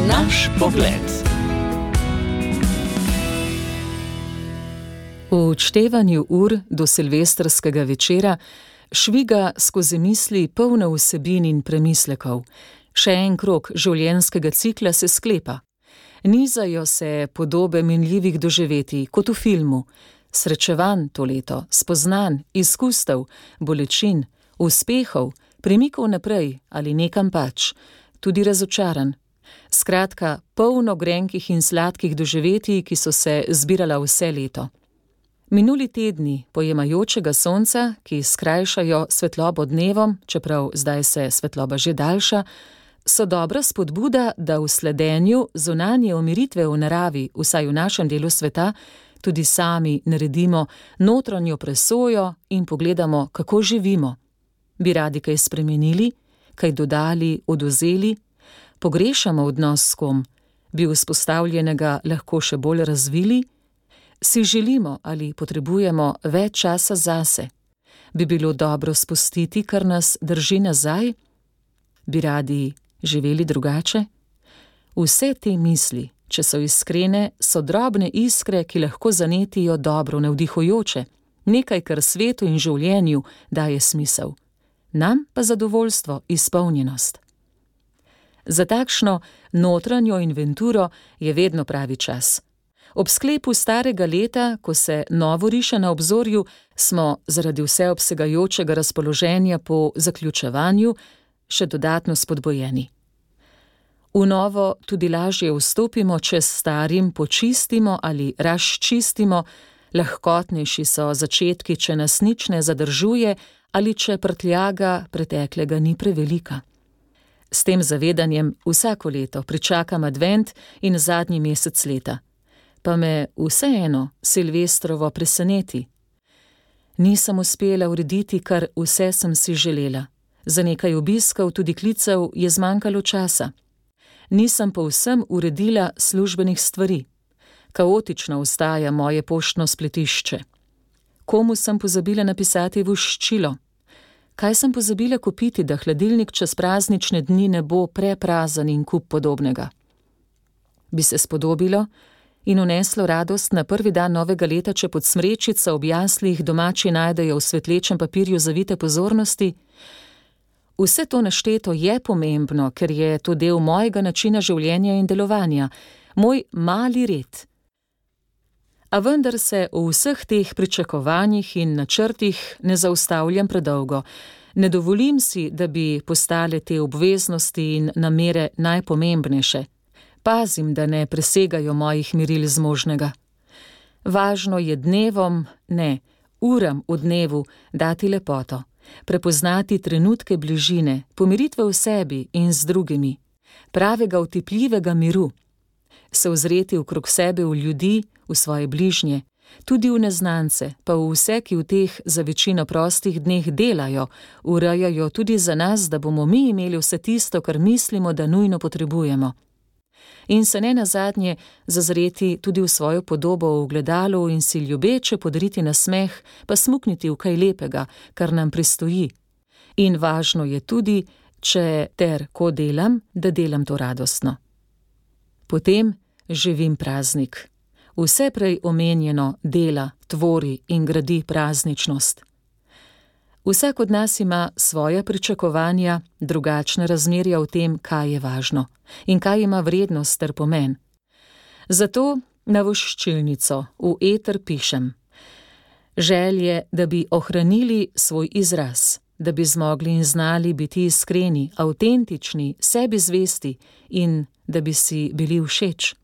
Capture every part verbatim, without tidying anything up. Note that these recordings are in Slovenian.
Naš pogled. V odštevanju ur do silvestrskega večera šviga skozi misli polno vsebin in premislekov. Še en krog življenjskega cikla se sklepa. Nizajo se podobe minljivih doživetij, kot v filmu. Srečevanj to leto, spoznanj, izkustev, bolečin, uspehov, premikov naprej ali nekam pač, tudi razočaran. Skratka, polno grenkih in sladkih doživetij, ki so se zbirala vse leto. Minuli tedni pojemajočega sonca, ki skrajšajo svetlobo dnevom, čeprav zdaj se svetloba že daljša, so dobra spodbuda, da v sledenju zunanje umiritve v naravi, vsaj v našem delu sveta, tudi sami naredimo notranjo presojo in pogledamo, kako živimo. Bi radi kaj spremenili, kaj dodali, odvzeli, pogrešamo odnos s kom, bi vzpostavljenega lahko še bolj razvili, si želimo ali potrebujemo več časa zase, bi bilo dobro spustiti, kar nas drži nazaj, bi radi živeli drugače. Vse te misli, če so iskrene, so drobne iskre, ki lahko zanetijo dobro, navdihujoče, nekaj, kar svetu in življenju daje smisel. Nam pa zadovoljstvo, izpolnjenost. Za takšno notranjo inventuro je vedno pravi čas. Ob sklepu starega leta, ko se novo riše na obzorju, smo zaradi vseobsegajočega razpoloženja po zaključevanju še dodatno spodbojeni. V novo tudi lažje vstopimo, če s starim počistimo ali razčistimo, lahkotnejši so začetki, če nas nič ne zadržuje ali če prtljaga preteklega ni prevelika. S tem zavedanjem vsako leto pričakam advent in zadnji mesec leta. Pa me vseeno silvestrovo preseneti. Nisem uspela urediti, kar vse sem si želela. Za nekaj obiskov, tudi klicev, je zmanjkalo časa. Nisem povsem uredila službenih stvari. Kaotično ostaja moje poštno spletišče. Komu sem pozabila napisati voščilo? Kaj sem pozabila kupiti, da hladilnik čez praznične dni ne bo preprazen in kup podobnega? Bi se spodobilo in uneslo radost na prvi dan novega leta, če pod smrečico ob jaslih domači najdejo v svetlečem papirju zavite pozornosti? Vse to našteto je pomembno, ker je to del mojega načina življenja in delovanja, moj mali red. A vendar se v vseh teh pričakovanjih in načrtih ne zaustavljam predolgo. Ne dovolim si, da bi postale te obveznosti in namere najpomembnejše. Pazim, da ne presegajo mojih meril zmožnega. Važno je dnevom, ne, uram v dnevu dati lepoto, prepoznati trenutke bližine, pomiritve v sebi in z drugimi, pravega utipljivega miru, se ozreti okrog sebe v ljudi, v svoje bližnje, tudi v neznance, pa v vse, ki v teh za večino prostih dneh delajo, urejajo tudi za nas, da bomo mi imeli vse tisto, kar mislimo, da nujno potrebujemo. In se ne nazadnje zazreti tudi v svojo podobo v ogledalu in si ljubeče podariti nasmeh, pa smukniti v kaj lepega, kar nam pristoji. In važno je tudi, če ter ko delam, da delam to radostno. Potem živim praznik. Vse prej omenjeno dela, tvori in gradi prazničnost. Vsak od nas ima svoja pričakovanja, drugačne razmerja v tem, kaj je važno in kaj ima vrednost ter pomen. Zato na voščilnico v eter pišem: želje, da bi ohranili svoj izraz, da bi zmogli in znali biti iskreni, avtentični, sebi zvesti in da bi si bili všeč.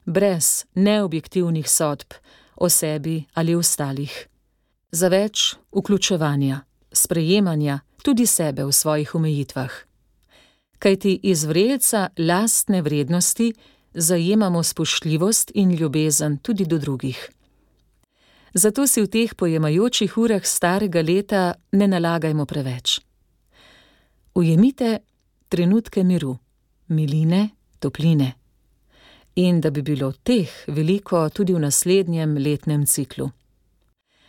Brez neobjektivnih sodb o sebi ali ostalih. Za več vključevanja, sprejemanja tudi sebe v svojih omejitvah. Kajti iz vrelca lastne vrednosti zajemamo spoštljivost in ljubezen tudi do drugih. Zato si v teh pojemajočih urah starega leta ne nalagajmo preveč. Ujemite trenutke miru, miline, topline. In da bi bilo teh veliko tudi v naslednjem letnem ciklu.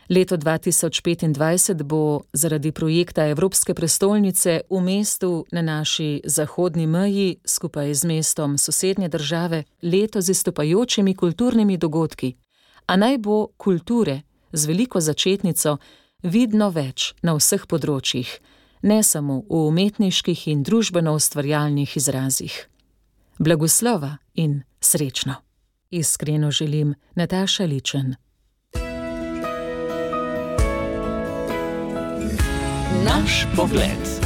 Leto dva tisoč petindvajset bo zaradi projekta Evropske prestolnice v mestu na naši zahodni meji skupaj z mestom sosednje države leto z izstopajočimi kulturnimi dogodki, a naj bo kulture z veliko začetnico vidno več na vseh področjih, ne samo v umetniških in družbeno-ustvarjalnih izrazih. Blagoslova in srečno. Iskreno želim, Nataša Ličen. Naš pogled.